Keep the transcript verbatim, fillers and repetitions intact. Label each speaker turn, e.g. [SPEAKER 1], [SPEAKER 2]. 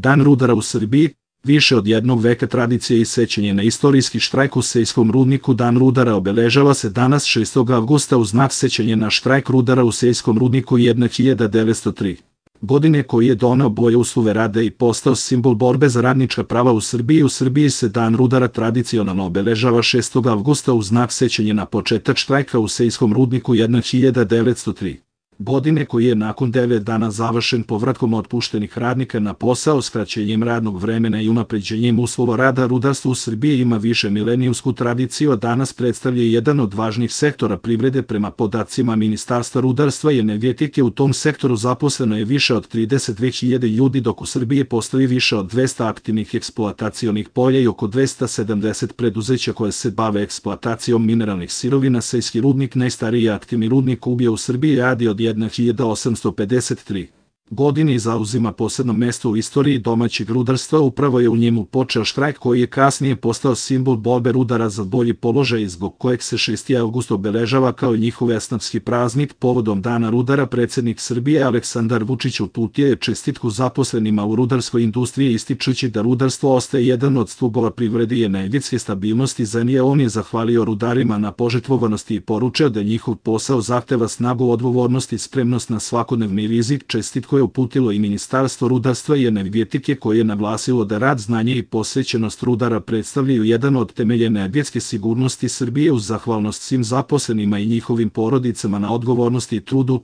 [SPEAKER 1] Dan rudara u Srbiji, više od jednog veka tradicije i sećanje na istorijski štrajk u Sejskom rudniku. Dan rudara obeležava se danas šestog avgusta u znak sećanja na štrajk rudara u Sejskom rudniku hiljadu devetsto tri. godine koji je doneo bolje uslove rada i postao simbol borbe za radnička prava u Srbiji. U Srbiji se Dan rudara tradicionalno obeležava šestog avgusta u znak sećanja na početak štrajka u Sejskom rudniku hiljadu devetsto tri. godine koji je nakon devet dana završen povratkom otpuštenih radnika na posao, skraćenjem radnog vremena i unapređenjem uslova rada. Rudarstvo u Srbiji ima više milenijumsku tradiciju, a danas predstavlja jedan od važnijih sektora privrede. Prema podacima Ministarstva rudarstva i energetike, u tom sektoru zaposleno je više od trideset dve hiljade ljudi, dok u Srbiji postoji više od dvesta aktivnih eksploatacionih polja i oko dvesta sedamdeset preduzeća koje se bave eksploatacijom mineralnih sirovina. Sejski rudnik, najstariji aktivni rudnik uglja u Srbiji, radi od hiljadu osamsto pedeset tri. godine i zauzima posebno mesto u istoriji domaćeg rudarstva. Upravo je u njemu počeo štrajk koji je kasnije postao simbol borbe rudara za bolji položaj i zbog kojeg se šesti avgust obeležava kao njihov esnafski praznik. Povodom Dana rudara predsednik Srbije Aleksandar Vučić uputio je čestitku zaposlenima u rudarskoj industriji, ističući da rudarstvo ostaje jedan od stubova privrede i energetske stabilnosti zemlje. On je zahvalio rudarima na požrtvovanosti i poručio da njihov posao zahteva snagu, odgovornost i spremnost na svakodnevni rizik. Čestitku je uputilo i Ministarstvo rudarstva i energetike, koje je naglasilo da rad, znanje i posvećenost rudara predstavljaju jedan od temelja energetske sigurnosti Srbije. Uz zahvalnost svim zaposlenima i njihovim porodicama na odgovornosti i trudu,